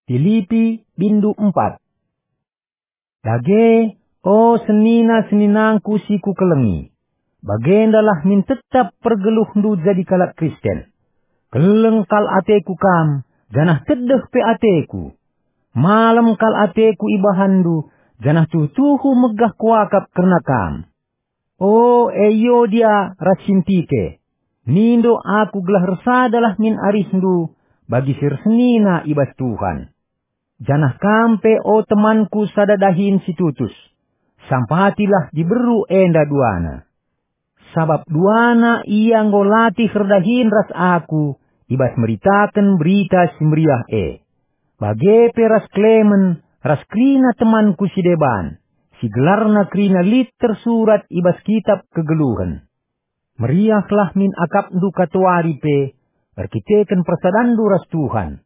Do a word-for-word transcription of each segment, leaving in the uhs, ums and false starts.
Pilipi, bindu empat. Dage, o senina-seninangku si kukelengi, bagendalah min tetap pergeluhndu jadi kalak Kristen. Keleng kal ateku kam, janah tedeh pe ateku. Malem kal ateku ibahanndu, janah tuhu-tuhu megah kuakap kerna kam. O Euodia ras Sintike, mindo aku gelah ersadalah min arihndu bagi si ersenina i bas Tuhan. Janah kam pe, o temanku sada dahin si tutus, sampatilah diberu enda duana. Sabap duana ia enggo latih erdahin ras aku i bas meritaken Berita Si Meriah e. Bage pe ras Klemen ras kerina temanku si deban, si gelarna kerina lit tersurat i bas Kitap Kegeluhen. Meriahlah min akapndu katawari pe erkiteken persadanndu ras Tuhan.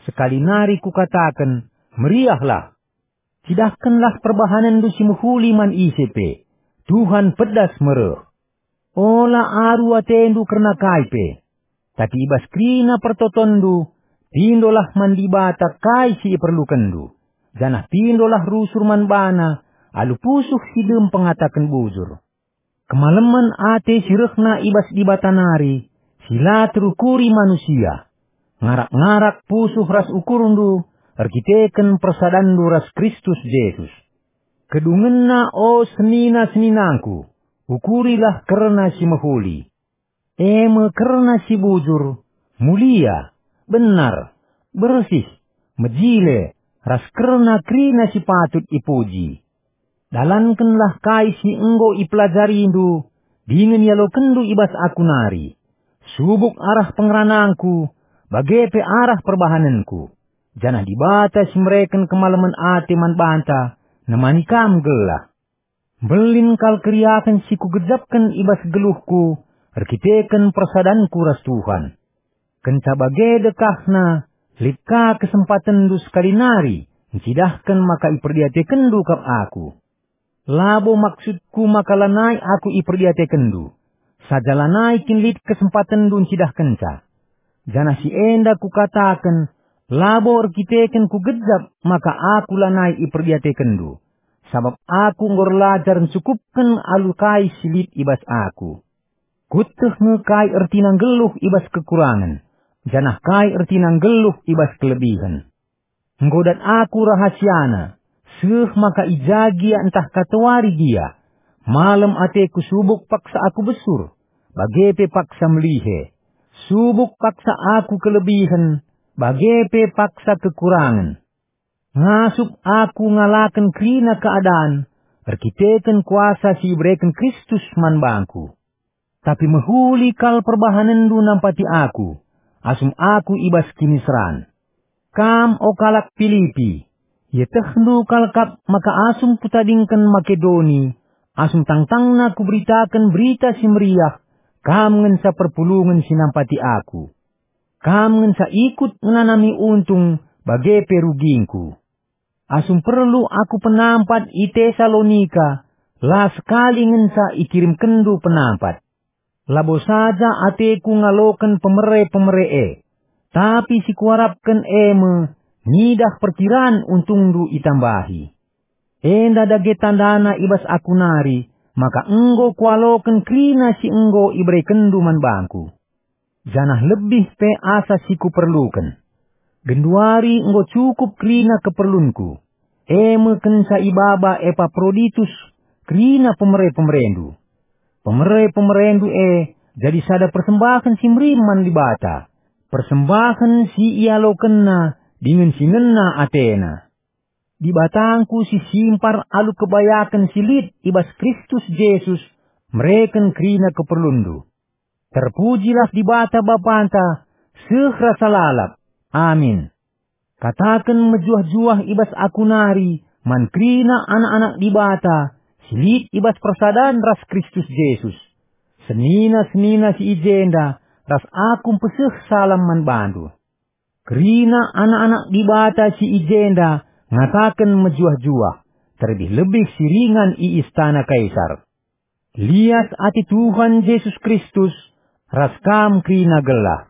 Sekali nari kukataken, meriahlah! Cidahkenlah perbahanenndu si mehuli man ise pe. Tuhan pedas me reh. Ola aru atendu kerna kai pe. Tapi i bas kerina pertotonndu, pindolah man Dibata kai si iperlukenndu, janah pindolah rusur man baNa alu pusuh si dem pengataken bujur. Kemalemen ate si rehna i bas Dibata nari, si la terukuri manusia, ngarak-ngarak pusuh ras ukurndu erkiteken persadanndu ras Kristus Jesus. Kedungenna, o senina-seninangku, ukurilah kerna si mehuli. E me kerna si bujur, mulia, benar, bersih, mejile, ras kerna kerina si patut ipuji. Dalankenlah kai si enggo ipelajarindu dingen ialokenndu i bas aku nari. Subuk arah pengeranangku, bage pe arah perbahanenku, janah Dibata si mereken kemalemen ate man banta nemani kam gelah. Mbelin kal keriahen si kugejapken i bas geluhku erkiteken persadanku ras Tuhan. Kenca bage dekahna, lit ka kesempatenndu sekali nari ncidahken maka iperdiatekenndu kap aku. Labo maksudku maka lanai aku iperdiatekenndu, saja lanai kin lit kesempatenndu ncidahkenca. Janah si enda kukataken, labo erkiteken kugejap maka aku lanai iperdiatekenndu, sabap aku enggo erlajar ncukupken alu kai si lit i bas aku. Kueteh nge kai ertina nggeluh i bas kekurangen, janah kai ertina nggeluh i bas kelebihen. Enggo dat aku rahasiana, seh maka i ja gia ntah katawari gia. Malem ateku subuk paksa aku besur, bage pe paksa melihe. Subuk paksa aku kelebihen, bage pe paksa kekurangen. Ngasup aku ngalaken kerina keadan erkiteken kuasa si ibereken Kristus man bangku. Tapi mehuli kal perbahanenndu nampati aku, asum aku i bas kiniseran. Kam, o kalak Pilipi, ietehndu kal kap maka asum kutadingken Makedoni, asum tangtangna kuberitaken Berita Si Meriah, kam ngenca perpulungen si nampati aku. Kam ngenca ikut ngenanami untung bage pe rugingku. Asum perlu aku penampat i Tesalonika, la sekali ngenca ikirimkenndu penampat. Labo saja ateku ngaloken pemere-pemere e, tapi si kuarapken e me ngidah perkiran untungndu itambahi. Enda dage tandana i bas aku nari maka enggo kualoken kerina si enggo iberekenndu man bangku. Janah lebih pe asa si kuperluken. Genduari enggo cukup kerina keperlunku, e me kenca ibaba Epaproditus kerina pemere-pemerendu. Pemere-pemerendu e jadi sada persembahen si merim man Dibata, persembahen si ialokenna dingen si ngena atena. Dibatangku si simpar alu kebayaken si lit i bas Kristus Jesus mereken kerina keperlunndu. Terpujilah Dibata Bapanta seh rasa lalap. Amin. Kataken mejuah-juah i bas aku nari man kerina anak-anak Dibata si lit i bas persadan ras Kristus Jesus. Senina-senina si i jenda ras aku mpeseh salam man bandu. Kerina anak-anak Dibata si i jenda ngataken mejuah-juah, terlebih-lebih si ringan i istana Kaisar. Lias ate Tuhan Jesus Kristus ras kam kerina gelah.